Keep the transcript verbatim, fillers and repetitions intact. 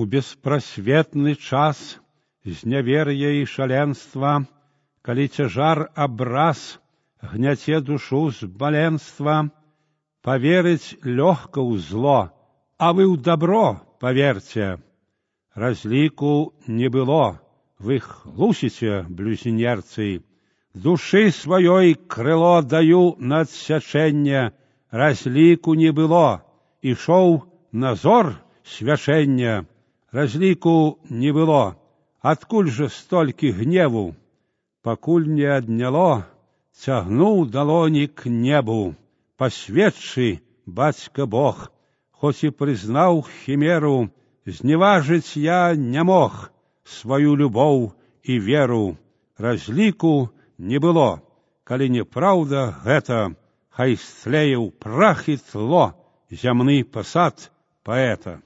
У беспросветны час знявер'я і шаленства, калі цяжар абраз гняце душу з баленства, поверить легко ў зло, а вы ў добро поверьте. Разліку не было, вы хлусіце, блюзнерцы. Души сваёй крыло даю на адсячэнне, разліку не было, ішоў назор свячэння. Разліку не было, адкуль же столькі гневу? Пакуль не адняло, цягнуў далоні к небу. Посведчы, бацька Бог, хоць і прызнаў хімеру, зневажыць я не мог сваю любоў і веру. Разліку не было, калі неправда гэта, хай стлее ў прах і тло зямны пасад паэта.